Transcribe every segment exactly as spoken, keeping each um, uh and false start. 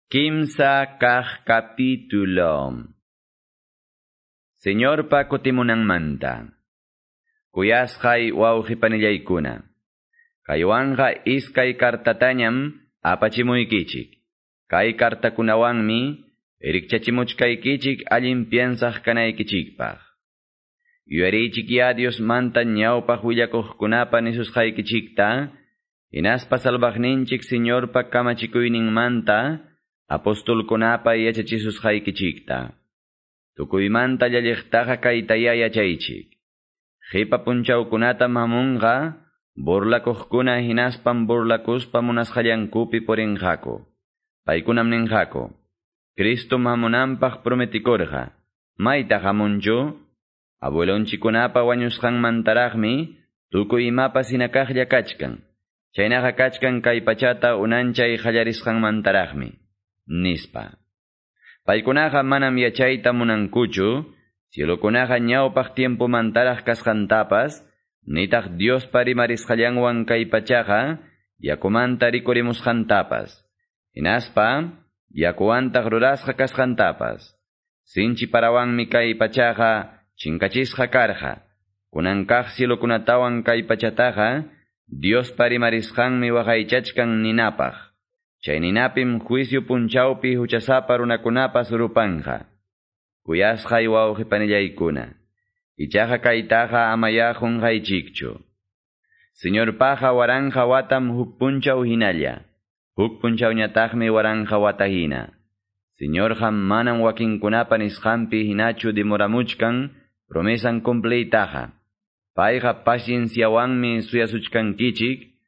Kimsa kaq capítulo. Señorpa kutimunanmanta. Kuyasqay wawqipanillaykuna. Kaywanqa iskay kartatañam apachimuykichik. Kay kartakunawanmi rikchachimuchkaykichik allin piensaq kanaykichikpaq. Yuyariychik ya Diosmanta ñawpaq willakuqkunapa nisusqaykichikta, hinaspa salvaqninchik Señorpa kamachikuyninmanta apostolkunapa yachachisusqaykichikta. Tukuymanta llalliqtaqa kaytaya yachaychik. Qipa punchawkunata hamunqa burlakuqkuna hinaspam burlakuspa munasqallankupi purinqaku. Paykunam ninqaku: Cristo hamunanpaq prometikurqa. Maytaq hamunchu? Abuelonchikunapa wañusqanmantaraqmi tukuy imapas hinakaqlla kachkan. Chaynaqa kachkan kay pachata unanchay qallarisqanmantaraqmi, nispa. Paykunaqa manam yachayta munankuchu, cielokunaqa ñawpaq tiempomantaraq kasqantapas, nitaq Diospa rimarisqallanwan kay pachaqa yakumanta rikurimusqantapas, hinaspa yakuwantaq rurasqa kasqantapas. Sinchi parawanmi kay pachaqa chinkachisqa karqa. Kunan kaq cielokunatawan kay pachataqa Diospa rimarisqanmi waqaychachkan ninapaq. Chay ninapim juicio punchawpi huchasapa runakunapas rupanqa. Kuyasqay wawqipanillaykuna. Ichaqa kaytaqa amaya qunqaychikchu. Señorpaqa waranqa watam huk punchaw hinalla. Huk punchawñataqmi waranqa wata hina. Señorqa manam wakinkunapa nisqanpi hinachu demoramuchkan promesan cumpliytaqa. Payqa pacienciawanmi suyasuchkankichik,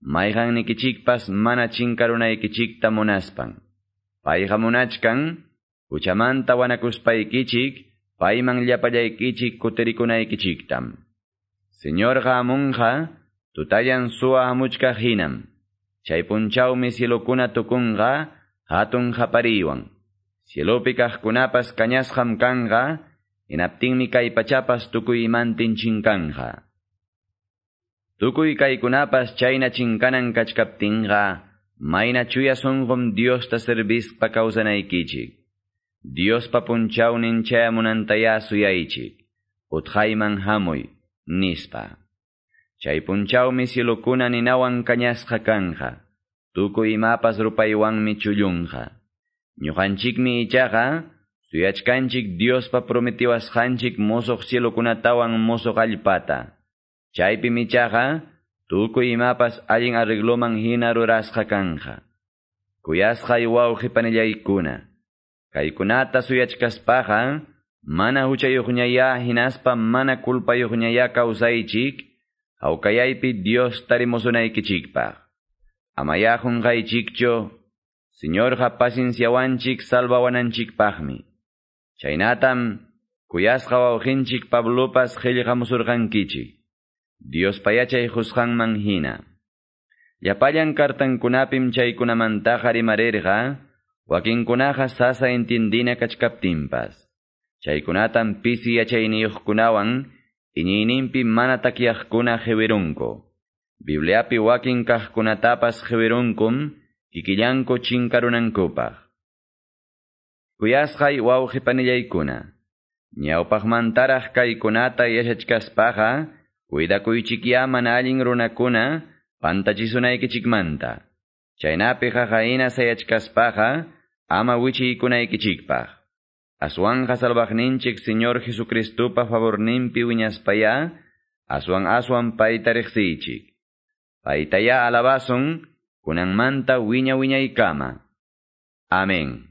mayqannikichikpas mana chinkarunaykichikta munaspan. Payqa munachkan, huchamanta wanakuspaykichik, payman llapallaykichik kutirikunaykichiktam. Señorqa hamunqa, tutallan suwa hamuchkaq hinam. Chay punchawmi cielokuna tukunqa, hatun qapariywan. Cielopi kaqkunapas kañasqam kanqa, hinaptinmi kay pachapas tukuy imantin chinkanqa. Tukuy kaykunapas chayna chinkanan kachkaptinqa, mayna chuya sunqum Diosta servispa kawsanaykichik. Diospa punchawnin chayamunantaya suyaychik. Utqayman hamuy, nispa. Chay punchawmi cielokuna ninawan kañasqa kanqa. Tukuy imapas rupaywanmi chullunqa. Ñuqanchikmi ichaqa suyachkanchik Diospa prometiwasqanchik mosoq cielokunatawan mosoq allpata. Chaypim ichaqa tukuy imapas allin arregloman hina rurasqa kanqa. Kuyasqay wawqipanillaykuna. Kaykunata suyachkaspaqa mana huchayuqñaya hinaspa mana culpayuqñaya kawsaychik, hawkayaypi Dios tarimusunaykichikpaq. Amaya qunqaychikchu, Señorqa pacienciawanchik salvawananchikpaqmi. Chaynatam kuyasqa wawqinchik Pablopas qillqamusurqankichik, Diospa yachay qusqanman hina. Llapallan kartankunapim chaykunamantaqa rimarirqa, wakinkunaqa sasa entendina kachkaptinpas. Chaykunatam pisi yachayniyuqkunawan iñiyninpi mana takyaqkuna qiwirunku. Bibliapi wakin kaqkunatapas qiwirunkum kikillanku chinkarunankupaq. Kuyasqay wawqipanillaykuna. Ñawpaqmantaraq kaykunata yachachkaspaqa, cuidakuychikya mana allin runakuna pantachisunaykichikmanta. Chaynapi qaqahina sayachkaspaqa ama wichiykunaykichikpaq. Aswanqa salvaqninchik Señor Jesucristopa favorninpi wiñaspaya, aswan aswan payta riqsiychik. Paytaya alabasun, kunanmanta wiña wiñaykama. Amén.